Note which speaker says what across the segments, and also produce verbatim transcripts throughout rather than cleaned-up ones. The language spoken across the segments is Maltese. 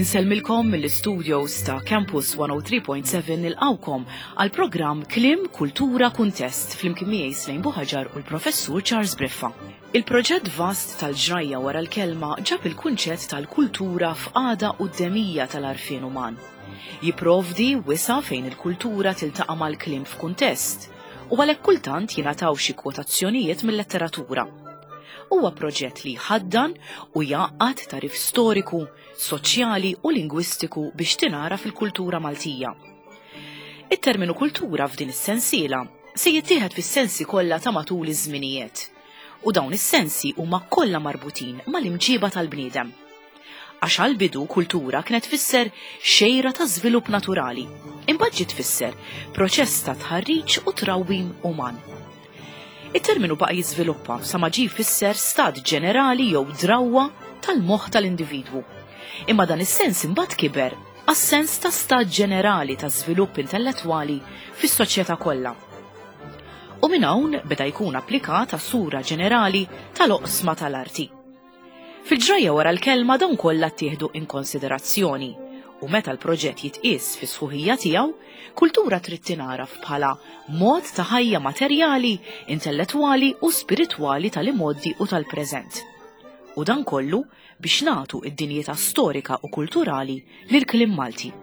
Speaker 1: Insellmilkom mill-studios ta' Campus one oh three point seven, nilqgħukom għal programm Kliem, Kultura, Kuntest flimkien miegħi Slejn Buħaġar u l-Professur Charles Briffa. Il-proġett vast tal-ġrajja wara l-kelma ġab il-kunċett tal-kultura f'qagħda quddemija tal-għarfien uman. Jiprovdi wisa' fejn il-kultura tiltaqa' mal-kliem f'kuntest u għalhekk kultant jingħataw xi kwotazzjonijiet mill-letteratura. Huwa proġett li jħaddan u jgħaqqad tagħrif storiku, soċjali u lingwistiku biex tingħaraf il-kultura Maltija. It-terminu kultura f'din is-sensiela se jittieħed fis-sensi kollha ta' matul iż-żminijiet. U dawn is-sensi huma kollha marbutin mal-imġiba tal-bniedem. Għax għal-bidu kultura kienet tfisser xejra ta' żvilupp naturali, imbagħad ġiet tfisser proċess ta' tħarriġ u trawwim uman. Il-terminu baqa' jiżviluppa sa ma ġie jfisser stat ġenerali jew drawwa tal-moħħ tal-individwu. Imma dan is-sens imbagħad kiber għas-sens ta' stat ġenerali ta' żvilupp intellettwali fis-soċjetà kollha. U minn hawn beda jkun applikat għas-sura ġenerali tal-oqsma tal-arti. Fil-ġrajja wara l-kelma dawn kollha ttieħdu in konsiderazzjoni u meta l-proġett jitqies fi sħuħija tiegħu, kultura trid tingħaraf bħala mod ta' ħajja materjali, intellettwali u spiritwali tal-imgħoddi u tal-preżent. U dan kollu biex nagħtu id-dinjità storika u kulturali lil kliem Malti.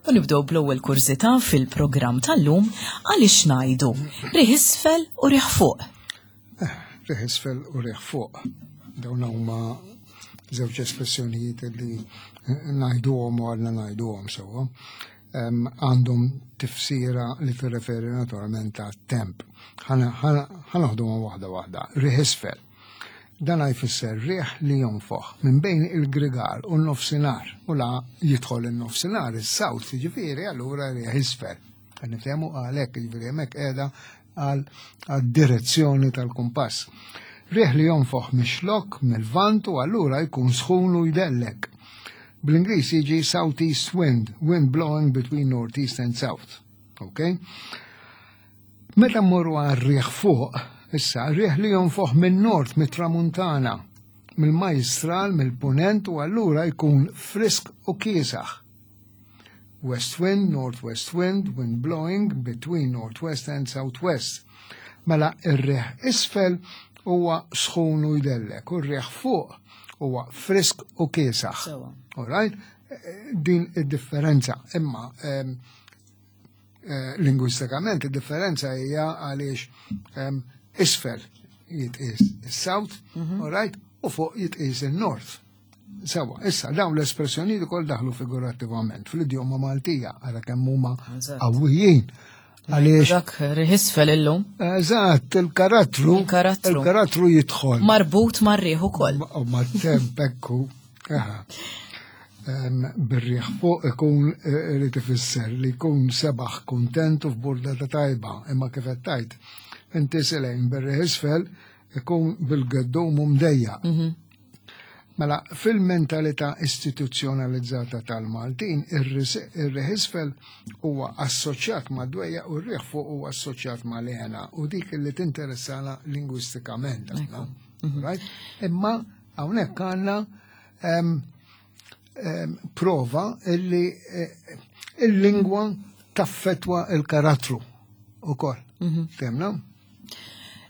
Speaker 1: U nibdew bl-ewwel kurżità fil-programm tal-lum: għaliex ngħidu riħ isfel u riħ fuq?
Speaker 2: Riħ isfel u riħ fuq. Dawn huma żewġ espressjonijiet li ngħiduhom u għadna ngħiduhom sewwa. Em, Għandhom tifsira li tirreferi naturalment għat-temp. Ħa noħduhom waħda waħda. Riħ isfel. Dan jfisser riħ li jonfoħ minn bejn il-grigal u n-nofsinhar, u la jidħol il-nofsinhar, is-south, ġifieri allura riħ isfel. Niftehmu għalhekk, ġifieri hemmhekk qiegħda għal direzzjoni tal-kumpass. Riħ li jonfoħ mix-Xlokk, mill-Lvant, u allura jkun sħun u jdellek. Bl-Ingliż jiġi southeast wind, wind blowing between northeast and south. Okay? Meta mmorru għal riħ fuq, issa, riħ li jonfoħ minn nord, mit-tramuntana, mill-majstral, mill-punent, u allura jkun frisk u kiesaħ. West wind, northwest wind, wind blowing between northwest and southwest. Mela ir-riħ isfel huwa sħun u jdellek, u r-riħ fuq huwa frisk u kiesaħ.
Speaker 1: Sewwa.
Speaker 2: All right? Din id-differenza. Imma em, eh, lingwistikament id-differenza hija għaliex em, isfel jitqis is-south, all right, u fuq jitqis il-north. Sewwa, issa dawn l-espressjonijiet ukoll daħlu figurattivament fl-idjoma Maltija, għara kemm huma
Speaker 1: Eżatt.
Speaker 2: qawwijin. Għaliex,
Speaker 1: Dak riħ isfel illum
Speaker 2: eżatt, il-karattru,
Speaker 1: Il-karattru.
Speaker 2: il-karattru jidħol.
Speaker 1: Marbut mar-riħ ukoll.
Speaker 2: U ma' temp ekku. Aha. Em, Bir-riħ fuq ikun eh, li tifisser li jkun sebaħ, kontent u f'burdata tajba, imma kif qed tgħid inti Silejn, bir-riħ isfel ikun bil-geddum u mdejjaq. Mela, fil-mentalità istituzzjonalizzata tal-Maltin, ir-riħ isfel huwa assoċjat ma' dwejjaq u r-riħ fuq huwa assoċjat ma' l-hena u dik li tinteressana lingwistikament aħna. Right? Imma hawnhekk għandna em, em, prova illi eh, il-lingwa taffetwa il-karattru ukoll. Fhimna?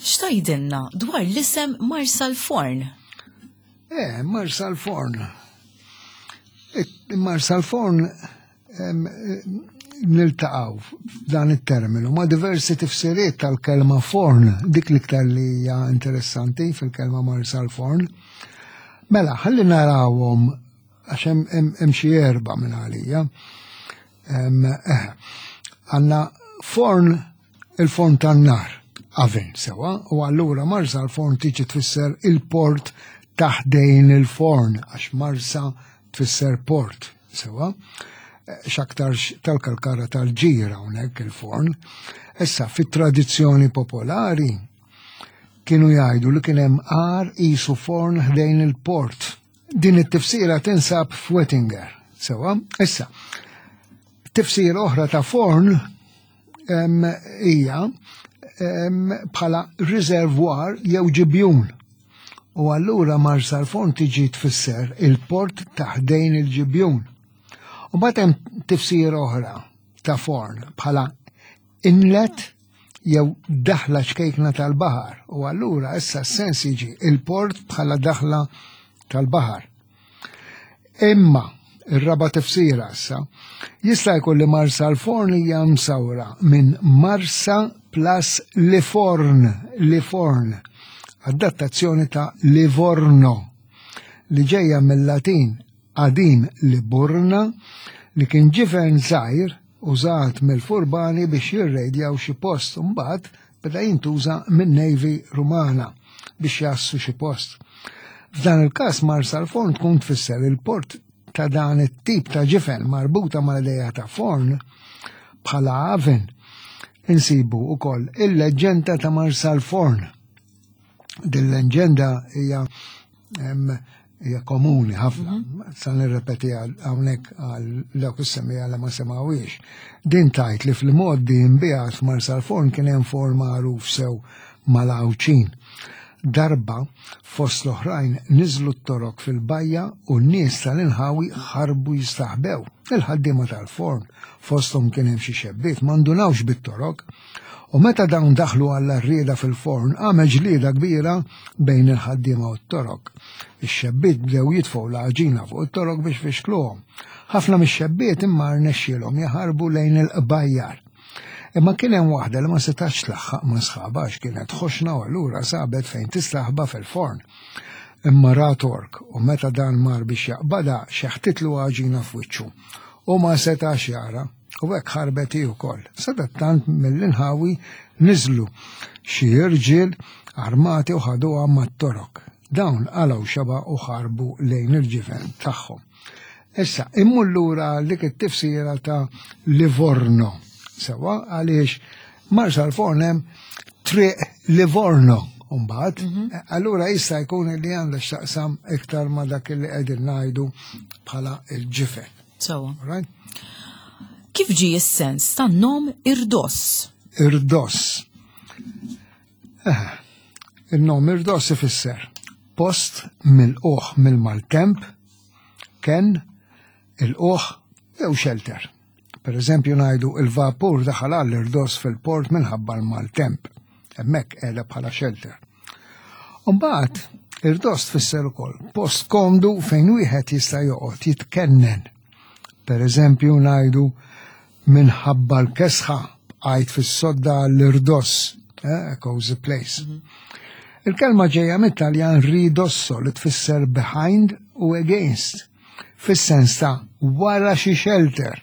Speaker 1: X'tgħidilna dwar l-isem Marsalforn?
Speaker 2: Eh, Marsalforn. Marsalforn em, eh, niltaqgħu f'dan it-terminu ma' diversi tifsiriet tal-kelma forn, dik l-iktar li hija interessanti fil-kelma Marsalforn. Mela, ħalli narawhom għax hemm- hemm hemm xi erba' minn għalija. Em, eh, Għandna forn, il-forn tan-nar, oven, sewwa, u allura Marsalforn tiġi tfisser il-port ta' ħdejn il-forn, għax Marsa tfisser port, sewa, x'aktarx tal-kalkara tal-ġira hawnhekk il-forn. Issa, fit-tradizzjoni popolari kienu jgħidu li kien hemm għar qisu forn ħdejn il-port. Din it-tifsira tinsab f'Wettinger, sewa. Issa, tifsira oħra ta' forn hija bħala riservwar jew ġibjun. U allura Marsalforn tiġi tfisser il-port ta' ħdejn il-ġibjun. U mbagħad hemm tifsira oħra ta' forn bħala inlet jew daħla ċkejkna tal-baħar. U allura issa s-sens jiġi il-port bħala daħla tal-baħar. Imma ir-raba tifsira issa jista' jkun li Marsalforn hija msawra minn Marsa plus Liforn, Liforn, adattazzjoni ta' Livorno li ġejja mill-Latin qadim Liburna, li kien ġifen żgħir użat mill-furbani biex jirrejdjaw xi post, mbagħad beda jintuża min-Navy Rumana biex jassu xi post. F'dan il-każ Marsalforn tkun tfisser il-port ta' dan it-tip ta' ġifen marbuta mal-idea ta' forn bħala oven. Insibu wkoll il-leġenda ta' Marsalforn. Din leġenda hija hija komuni ħafna. Sa nirrepeti hawnhekk għal dawk is-semmiegħa li ma semgħuhiex. Din tgħid li fil-modi nbiegħat f'Marsalforn kien hemm forn magħruf sew mal-Għawdxin. Darba fost l-oħrajn niżlu t-torok fil-bajja u n-nies tal-inħawi ħarbu jistaħbew. Il-ħaddiema tal-forn fosthom kien hemm xi xebbiet ma ndunawx bit-torok. U meta dawn daħlu għall-arrieda fil-forn, għamel ġlieda kbira bejn il-ħaddiema u t-torok. Ix-xebbiet bdew jitfgħu l-għaġina fuq it-torok biex fixkluhom. Ħafna mix-xebbiet imma rnexxielhom jaħarbu lejn il-qbajjar. Imma kien hemm waħda li ma setax tlaħħaq ma' sħabha għax kienet ħoxna u allura sabet fejn tistaħba fil-forn. Imma ra tork u meta dan mar biex jaqbada xeħtitlu għaġina f'wiċċu u ma setax jara u hekk ħarbet hi wkoll. Sadattant mill-inħawi niżlu xi irġiel armati u ħaduha mat-torok. Dawn qalgħu xaba u ħarbu lejn il-ġifen tagħhom. Issa, immur lura dik it-tifsira ta' Livorno. Sewa, għaliex Marsalforn hemm triq Livorno mbagħad, allura jista' jkun li għandha x'taqsam iktar ma' dak li qegħdin ngħidu bħala il-ġifen.
Speaker 1: Sewa.
Speaker 2: Right?
Speaker 1: Kif ġie s-sens tan-nom irdoss?
Speaker 2: Irdoss. Eh, il-nom irdoss ifisser post mill-uħ mill-maltemp, ken, il-uħ jew shelter. Per eżempju ngħidu il-vapur daħal għall-irdoss fil-port minħabba l-maltemp. Hemmhekk qiegħda bħala shelter. Mbagħad irdoss tfisser ukoll post komdu fejn wieħed jista' joqgħod jitkennen. Per eżempju ngħidu minħabba l-kesħa bqajt fis-sodda l-irdoss, eh, a cozy place. Il-kelma ġejja mit-Taljan ridosso li tfisser behind u against, fis-sens ta' wara xi shelter.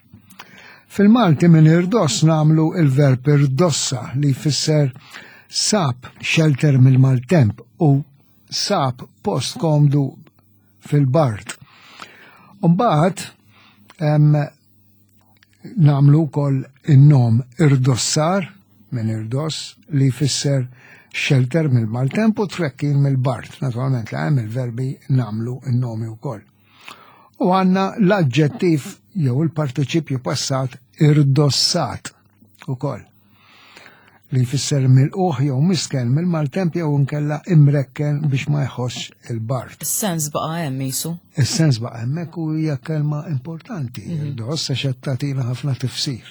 Speaker 2: Fil-Malti minn irdoss nagħmlu il-verb irdossa li jfisser sab shelter mill-maltemp u sab post komdu fil-bard. Mbagħad nagħmlu wkoll in-nom irdossar minn irdoss li jfisser shelter mill-maltemp u trekkin mill-bard. Naturalment li hemm il-verbi nagħmlu in-nomi wkoll. U għandna l-aġġettiv jew il-partiċipju passat irdossat ukoll li jfisser mill-uħ jew misken mill-maltemp jew inkella imrekken biex ma jħossx il-bard.
Speaker 1: Is-sens baqa' hemm qisu.
Speaker 2: Is-sens baqa' hemmhekk u hija kelma importanti, irdoss għax qed tagħtina ħafna tifsir.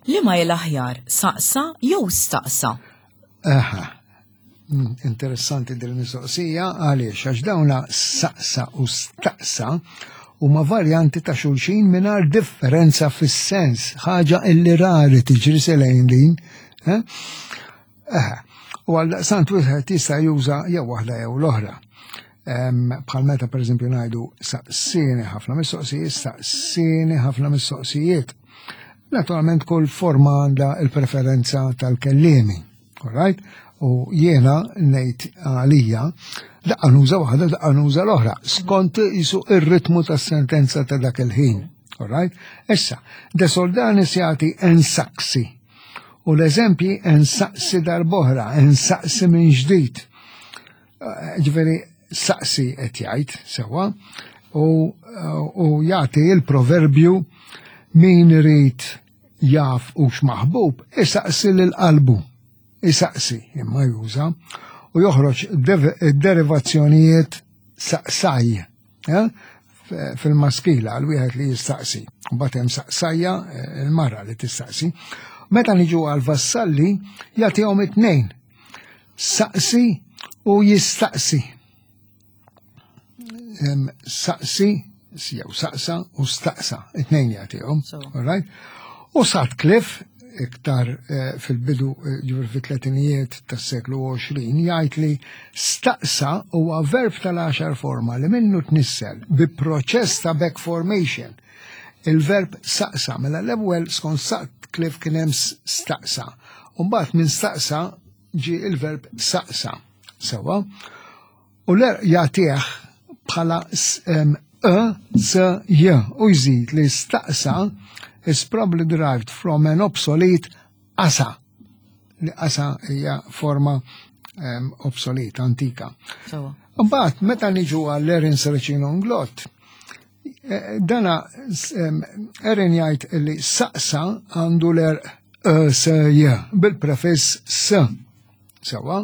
Speaker 1: Liema hi l-aħjar, saqsa jew staqsa?
Speaker 2: Aha. Mm, Interessanti din mistoqsija għaliex għax dawna saqsa u staqsa huma varjanti ta' xulxin mingħajr differenza fis-sens, ħaġa illi rari tiġri selejn din. Eh? Eh, U għaldaqstant wieħed jista' juża jew waħda jew l-oħra. Bħal meta pereżempju ngħidu saqsini ħafna mistoqsijiet, saqsini ħafna mistoqsijiet. Naturalment kull forma għandha il-preferenza tal-kellimi. All right? U jiena ngħid għalija, daqqa nuża waħda, daqqa nuża l-oħra, skont jisu ir-ritmu tas-sentenza ta' dak il-ħin. Alright? Issa, De Soldanis jagħti ensaqsi. U l-eżempji ensaqsi darb'oħra, ensaqsi minn ġdid. Ġifieri saqsi qed jgħid sewwa u, u jagħti il-proverbju min irid jaf hux maħbub, isaqsi lil qalbu. Isaqsi imma juża u joħroġ derivazzjonijiet saqsaj eh, fil-maskila għal wieħed li jistaqsi. Mbagħad hemm saqsajja eh, il-mara li tistaqsi. Meta niġu għal vassalli jagħtihom it-tnejn. Saqsi u jistaqsi. Saqsi jew saqsa u staqsa, it-tnejn jagħtihom. All right? U Sutcliffe iktar eh, fil-bidu eh, ġifieri fit-tletinijiet tas-seklu għoxrin jgħid li staqsa huwa verb tal-għaxar forma li minnu tnissel bi proċess ta' back formation. Il-verb saqsa, mela l-ewwel skont Sutcliffe kien hemm staqsa. U mbagħad minn staqsa ġi il-verb saqsa. Sewa. U l jagħtih bħala e, s, j u jżid li staqsa is probably derived from an obsolete asa. Li asa hija forma um, obsolete, antika. Mbagħad meta niġu għall Erin Serracino Inglott, eh, dana um, Erin jgħid li saqsa għandu l-er s j bil-prefiss s. Sewa,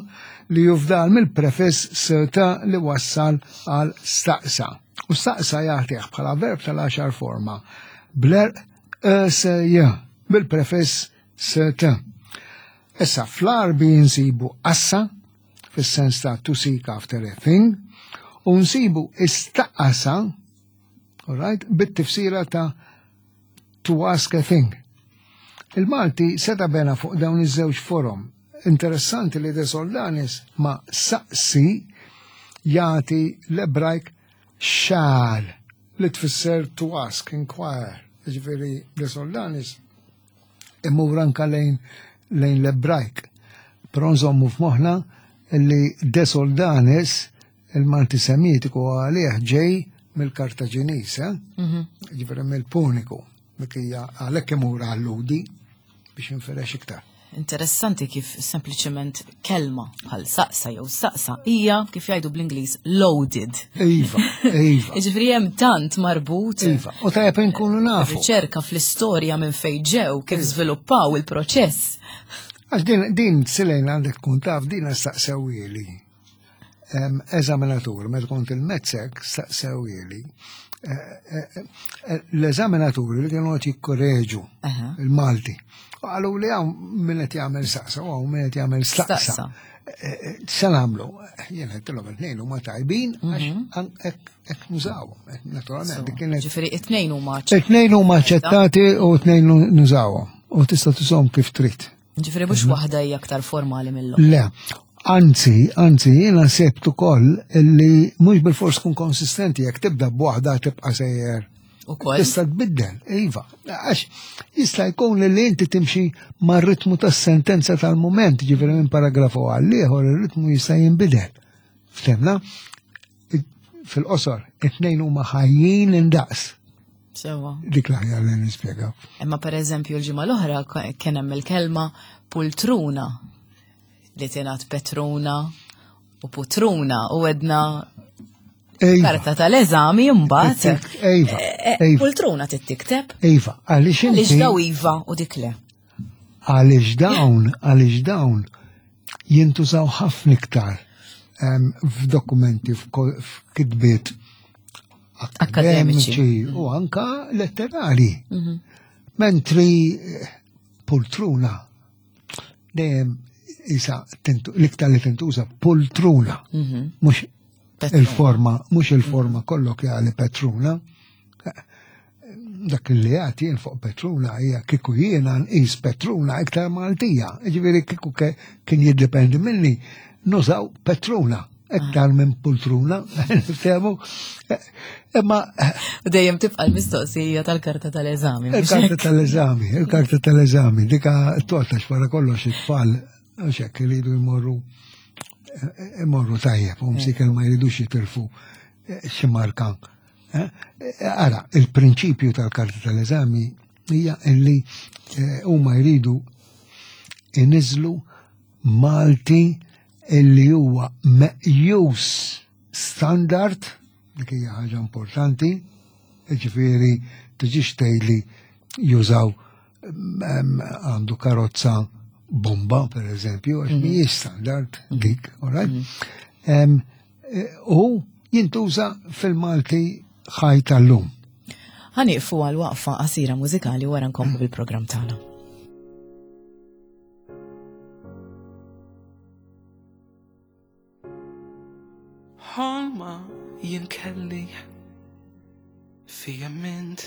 Speaker 2: li jufdal mill-prefiss s ta li wassal għal staqsa. U staqsa jagħtih bħala verb tal-għaxar forma bl-er S J bil-prefiss S T. Issa fl-Għarbi nsibu assa fis-sens ta' to seek after a thing u nsibu istaqasa, all right, bit-tifsira ta' to ask a thing. Il-Malti seta bena fuq dawn iż-żewġ forom. Interessanti li De Soldanis ma saqsi jagħti l-Ebrajk xal li tfisser to ask, inquire. Ġifieri De Soldanis imur anka lejn lejn l-Ebrajk. Però nżommu f'moħħna li De Soldanis il-Malti Semitiku għalih ġej mill-Kartaġinis, eh? Ġifieri mill-Puniku, dik hija għalhekk imur għall-Lhudi biex inferex iktar.
Speaker 1: Interessanti kif sempliċement kelma bħal saqsa jew saqsa hija kif jgħidu bl-Ingliż loaded.
Speaker 2: Iva, iva.
Speaker 1: Jiġifieri hemm tant marbut.
Speaker 2: Iva, u tajjeb inkunu nafu.
Speaker 1: Riċerka fl-istorja minn fejn ġew kif żviluppaw il-proċess.
Speaker 2: Għax din, din silejn għandek tkun taf din staqsewhieli. Eżaminatur, meta kont il-MATSEC staqsewhieli. Eh, eh, eh, L-eżaminaturi li kienu qed jikkoreġu il-Malti. Qalu li hawn min qed jagħmel saqsa u hawn min qed jagħmel staqsa. Se nagħmlu? Jien għedtilhom it-tnejn huma tajbin għax hekk nużawhom. Naturalment,
Speaker 1: kienet. Ġifieri it-tnejn huma
Speaker 2: It-tnejn huma aċċettati u t-tnejn nużawhom. U tista' tużahom kif trid.
Speaker 1: Ġifieri mhux waħda hija aktar formali mill-oħra.
Speaker 2: Le, anzi, anzi, jiena sebt ukoll illi mhux bil-fors tkun konsistenti jekk tibda b'waħda tibqa' sejjer.
Speaker 1: Ukoll.
Speaker 2: Tista' tbiddel, iva. Għax jista' jkun li inti timxi mar-ritmu tas-sentenza tal-mument, ġifieri minn paragrafu għal ieħor ir-ritmu jista' jinbidel. Ftemna? Fil-qosor, it-tnejn huma ħajjin indaqs.
Speaker 1: Sewa.
Speaker 2: Dik l-aħjar li nispjegaw.
Speaker 1: Imma per eżempju l-ġimgħa l-oħra kien hemm il-kelma pultruna li tingħad petruna u putruna u għedna
Speaker 2: Iva.
Speaker 1: karta tal-eżami mbagħad.
Speaker 2: Iva,
Speaker 1: Eh,
Speaker 2: iva.
Speaker 1: Pultruna tittikteb.
Speaker 2: Iva, għaliex
Speaker 1: Għaliex
Speaker 2: inti
Speaker 1: daw iva u dik le.
Speaker 2: għaliex dawn, għaliex dawn jintużaw ħafna iktar em, f'dokumenti, f'ko- f'kitbiet
Speaker 1: Akademiċi.
Speaker 2: akademiċi u anka letterari. Mentri eh, poltruna dejjem isa tintu- l-iktar li tintuża poltruna, mhux
Speaker 1: Petruna.
Speaker 2: il-forma, mhux il-forma kollokjali petruna. Dak li għati jien fuq Petruna hija kieku jiena nqis Petruna iktar Maltija. Ġifieri kieku ke- kien jiddependi minni nużaw Petruna iktar minn poltruna, niftehmu. Imma
Speaker 1: U dejjem tibqa' l-mistoqsija tal-karta tal-eżami. mhux
Speaker 2: il-karta
Speaker 1: hekk?
Speaker 2: tal-eżami, il-karta tal-eżami, dika totax wara kollox it-tfal Għax hekk iridu jmorru imorru tajjeb, u msiken ma jridux jitilfu xi marka. Ara, il-prinċipju tal-karta tal-eżami hija illi huma jridu iniżlu Malti illi huwa meqjus standard, dik hija ħaġa importanti, ġifieri tiġix tgħidli jużaw għandu karozza bomba, per eżempju, għax mhijiex standard dik, all right? U jintuża fil-Malti ħaj tal-lum.
Speaker 1: Ħa nieqfu għal waqfa qasira mużikali wara nkomplu bil-programm tagħna.
Speaker 3: Ħolma jien kelli fija mint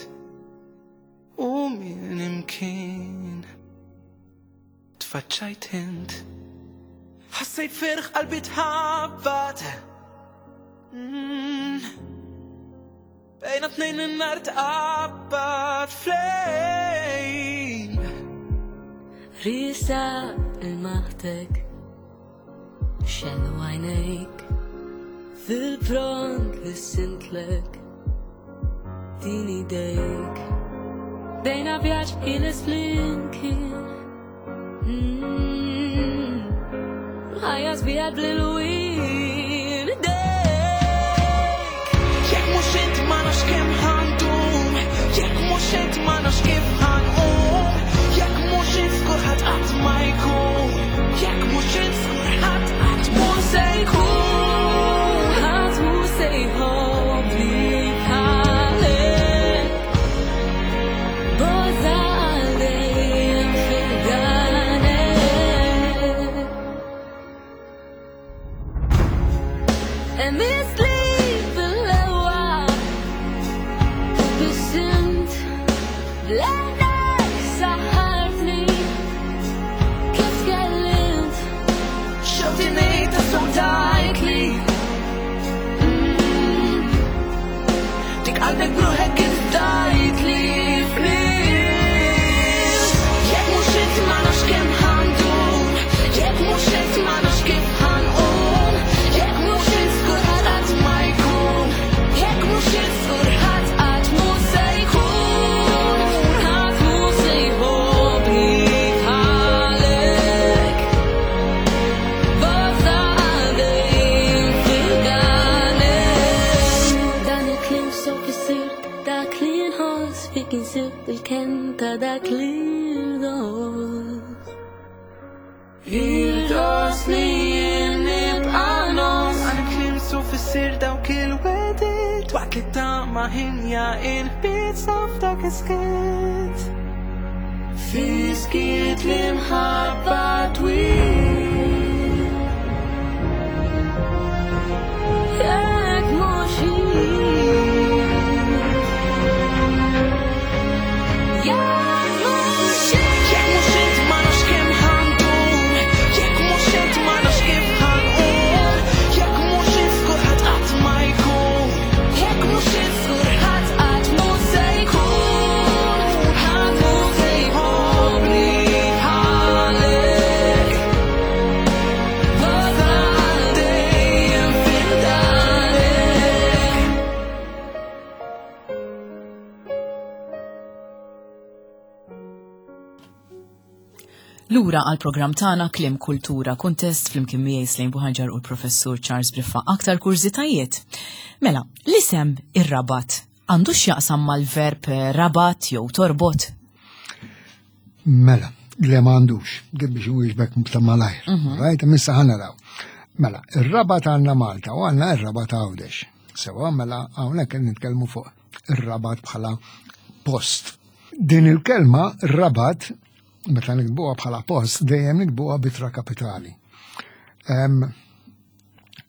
Speaker 3: u minn imkien tfaċċajt int, ħassejt ferħ qalbi tħabbat. Bejna tnejn in-nar tqabbad flejn.
Speaker 4: Risa il-maħtek xellu għajnejk fil-pront li sintlek din idejk bejna vjaġġ ħieles flimkien. Ħajja sbieħa bl-ilwien idejk.
Speaker 3: Jekk mhux int ma nafx kemm ħandum, jekk mhux int ma nafx kif ħanqum, jekk mhux int żgur ħadd qatt ma jkun, jekk mhux int żgur ħadd qatt mhu se jkun.
Speaker 4: Ħadd mhu se jħobbni bħalek. Boża għal dejjem fil-danek. Hemm is-slib fil-lewa biex int bl-għenek saħħartni kif tkellimt.
Speaker 3: Xewti ngħid tassew tajtli. Dik qalbek bruħek kif tajtli fnies. Jekk mhux int ma nafx kemm ħandum, jekk mhux int ma nafx kif ħanqum, jekk mhux int żgur ħadd qatt ma jkun, jekk mhux int żgur ħadd qatt mhu se jkun.
Speaker 4: Ħadd mhu se jħobbni bħalek. Boża għal dejjem fil-danek. Dan il-kliem sew fissirt dak li nħoss fik insibt il-kenn ta' dak li rdos.
Speaker 3: Irdos li jien nibqa' ngħożż. Għal kliem sew fissir dawk il-wedit, waqt li tama ħinja il-ħbiet saf dak is-skiet. Fiskiet li mħabba twil.
Speaker 4: Jekk mhux int, jekk mhux int.
Speaker 3: Jekk mhux int ma nafx kemm ħandum, jekk mhux int ma nafx kif ħanqum, jekk mhux int żgur ħadd qatt ma jkun, jekk mhux int żgur ħadd qatt mhu se jkun. Ħadd mhu se jħobbni bħalek. Boża għal dejjem fil-danek.
Speaker 1: Lura għal programm tagħna Kliem Kultura Kuntest flimkien miegħi Slejn Buħaġar u l-Professur Charles Briffa. Aktar kurżitajiet. Mela, l-isem ir-Rabat għandu x'jaqsam mal-verb rabat jew torbot?
Speaker 2: Mela, le ma għandux, din biex nwieġbek ta' malajr. Right, missa ħa naraw. Mela, ir-Rabat għandna Malta u għandna ir-Rabat Għawdex. Sewa, mela hawnhekk qed nitkellmu fuq ir-Rabat bħala post. Din il-kelma Rabat, meta nikbuha bħala post, dejjem nikbuha bitra kapitali. Em,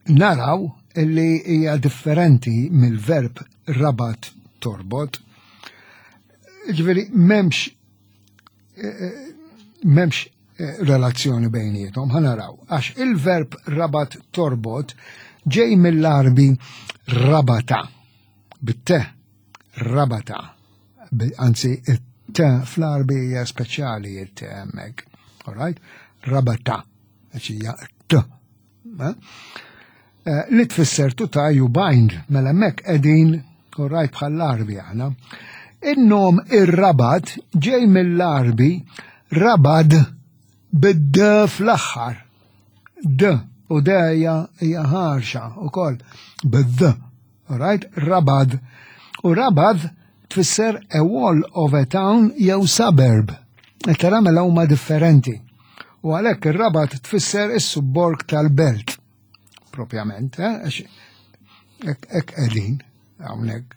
Speaker 2: naraw illi hija differenti mill-verb rabat torbot. Ġifieri m'hemmx m'hemmx eh, relazzjoni bejniethom, ħa naraw. Għax il-verb rabat torbot ġej mill-Arbi rabata, bit-te, rabata. Bi- Anzi, it-te fl-Arbi hija speċjali it-te hemmhekk. All right? Rabata. għax hija t. Eh? Eh, li tfisser to tie you bind, mela hemmhekk qegħdin rajt bħall-Għarbi aħna. In-nom ir-Rabat ġej mill-Għarbi rabad bid-d fl-aħħar. D u d hija hija ħarxa ukoll bid-d. Alright, rabad. U rabad tfisser a wall of a town jew suburb. Tara mela huma differenti. U għalhekk ir-Rabat tfisser is-subborg tal-belt. Propjament, eh? Għax hekk hekk qegħdin hawnhekk.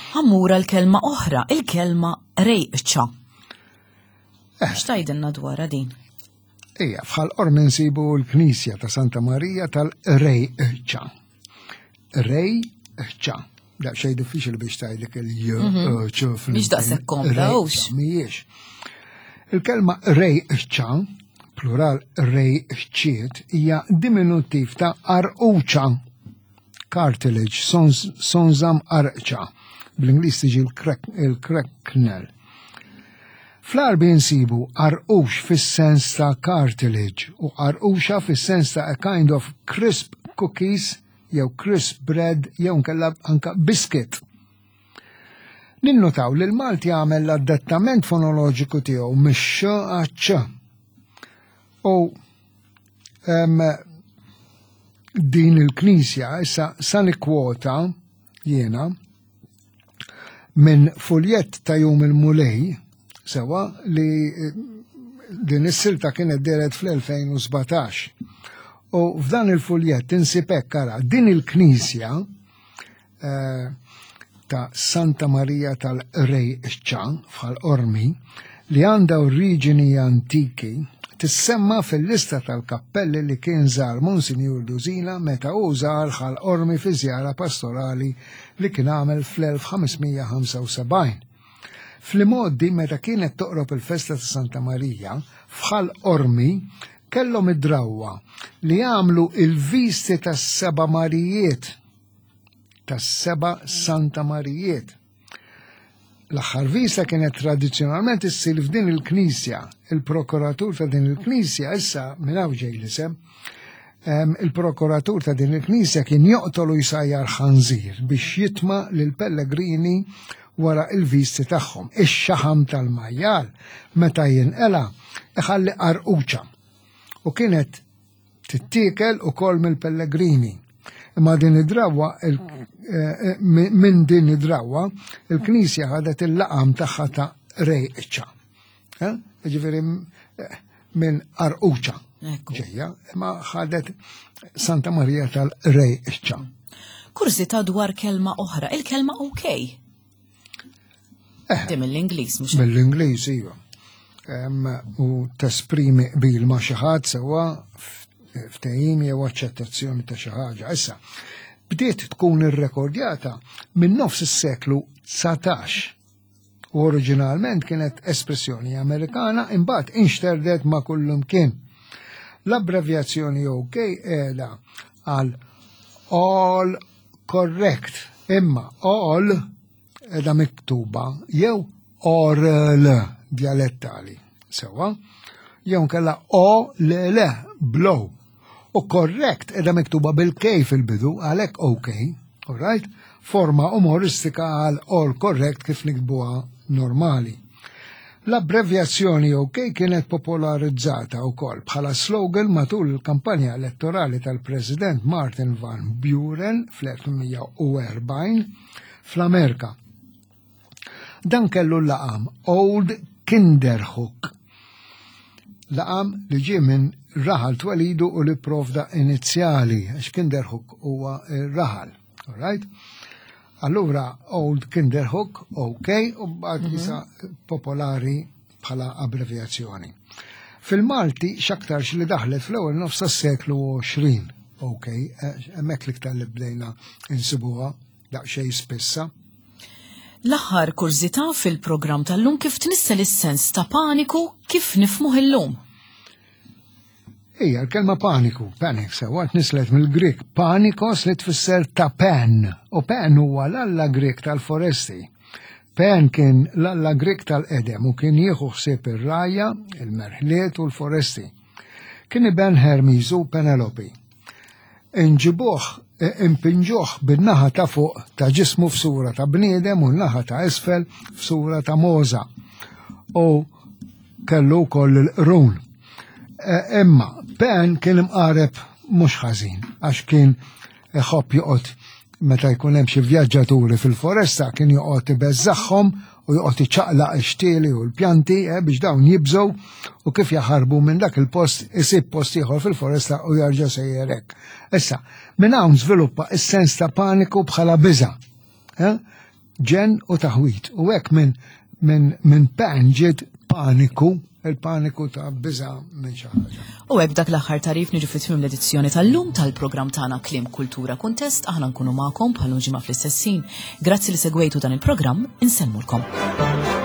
Speaker 1: Ħa mmur l-kelma oħra, il-kelma rejqċa.
Speaker 2: Eh.
Speaker 1: X'tgħidilna dwarha din?
Speaker 2: Ija, f'Ħal Qormi nsibu l-Knisja ta' Santa Marija tal-Rejċa. Rejċa. Da xej diffiċli biex tgħidlek il-j ċ fl-
Speaker 1: Mhix daqshekk kompla, hux?
Speaker 2: Mhijiex. Il-kelma rejċa, plural rejċiet, hija diminutiv ta' arquċa, cartilage, sons- sonżam arqċa. Bl-Ingliż tiġi il-cracknel. Fl-Għarbi nsibu arqux fis-sens ta' cartilage u arquxa fis-sens ta' a kind of crisp cookies jew crisp bread jew nkella anka biscuit. Ninnotaw li l-Malti għamel l-adattament fonoloġiku tiegħu mix-x għaċ. U em, din il-knisja issa sa nikkwota jiena minn fuljett ta' Jum il-Mulej sewa li eh, din is-silta kienet dehret fl-elfejn u sbatax. U f'dan il-fuljett insib hekk, ara, din il-knisja eh, ta' Santa Maria tal-Rejċa f'Ħal Qormi li għandha oriġini antiki tissemma fil-lista tal-kappelli li kien żar Monsinjur Dusina meta hu żar Ħal Qormi fi żjara pastorali li kien għamel fl-elf ħames mija ħamsa u sebgħin. Fl-imgħoddi, meta kienet toqrob il-festa ta' Santa Marija, f'Ħal Qormi kellhom id-drawwa li jagħmlu il-visti tas-seba' Marijiet, tas-seba' Santa Marijiet. L-aħħar vista kienet tradizzjonalment issir f'din il-knisja. Il-prokuratur ta' din il-knisja, issa minn hawn ġej l-isem, em, il-prokuratur ta' din il-knisja kien joqtol u jsajjar ħanżir biex jitma' lil pellegrini wara il-visti tagħhom. Ix-xaħam tal-majjal meta jinqela iħalli qarquċa u kienet tittiekel ukoll mill-pellegrini. Imma din id-drawwa, il- eh, minn din id-drawwa, il-Knisja ħadet il-laqam tagħha ta' Rejċa. Eh? Ġifieri eh, minn qarquċa
Speaker 1: Ekku.
Speaker 2: ġejja, imma ħadet Santa Maria tal-Rejċa.
Speaker 1: Kurżità dwar kelma oħra, il-kelma OK. Di mill-Ingliż, mhux?
Speaker 2: Mill-Ingliż, iva. Em, U tesprimi qbil ma' xi ħadd sewwa, ftehim jew aċċettazzjoni ta' xi ħaġa. Issa, bdiet tkun irrekordjata minn nofs is-seklu dsatax. U oriġinalment kienet espressjoni Amerikana, imbagħad inxterdet ma' kullumkien. L-abbrevjazzjoni OK qiegħda għal all correct, imma all qiegħda miktuba jew orl dialettali, sewa, jew kella o l l blow. U correct qiegħda miktuba bil-K fil-bidu, għalhekk OK, all right? Forma umoristika għal all correct kif niktbuha normali. L-abbrevjazzjoni OK kienet popolarizzata wkoll bħala slogan matul il-kampanja elettorali tal-President Martin Van Buren fl-elf tmien mija u erbgħin fl-Amerika. Dan kellu l-laqam Old Kinderhook. Laqam li ġie minn raħal twelidu u li provda inizjali, għax Kinderhook huwa raħal. All right? Allura Old Kinderhook, OK, u baqgħet issa popolari bħala abbrevjazzjoni. Fil-Malti x'aktarx li daħlet fl-ewwel nofs tas-seklu għoxrin, OK, eh, hemmhekk l-iktar li bdejna insibuha daqsxejn spissa.
Speaker 1: L-aħħar kurżità fil-programm tal-lum, kif tnissel is-sens ta' paniku kif nifhmuh illum?
Speaker 2: Ija, l-kelma paniku, panic, sewa, tnislet mill-Grek panikos li tfisser ta' Pan, u Pan huwa l-alla Grek tal-foresti. Pan kien l-alla Grek tal-qedem u kien jieħu ħsieb ir-rgħajja, il-merħliet u l-foresti. Kien iben Hermes u Penelope. Inġibuh, e, impinġuh bin-naħa ta' fuq ta' ġismu f'sura ta' bniedem u n-naħa ta' isfel f'sura ta' mogħża. U kellu wkoll il-qrun. E, imma Pan kien imqareb mhux ħażin, għax kien iħobb joqgħod meta jkun hemm xi vjaġġaturi fil-foresta, kien joqgħod ibeżżagħhom u joqgħod iċaqlaq ix-xtieli u l-pjanti eh, biex dawn jibżgħu, u kif jaħarbu minn dak il-post isib post ieħor fil-foresta u jarġa' sejjer hekk. Issa, minn hawn żviluppa is-sens ta' paniku bħala biża'. Eh? Ġenn u taħwid. U hekk minn min, min Pan ġiet paniku, il-paniku ta' biża' minn xi ħaġa.
Speaker 1: U hekk dak l-aħħar tagħrif niġu fi tmiem l-edizzjoni tal-lum tal-programm tagħna Kliem, Kultura, Kuntest. Aħna nkunu magħkom bħal ġimgħa fl-istess ħin. Grazzi li segwejtu dan il-programm, insellmulkom.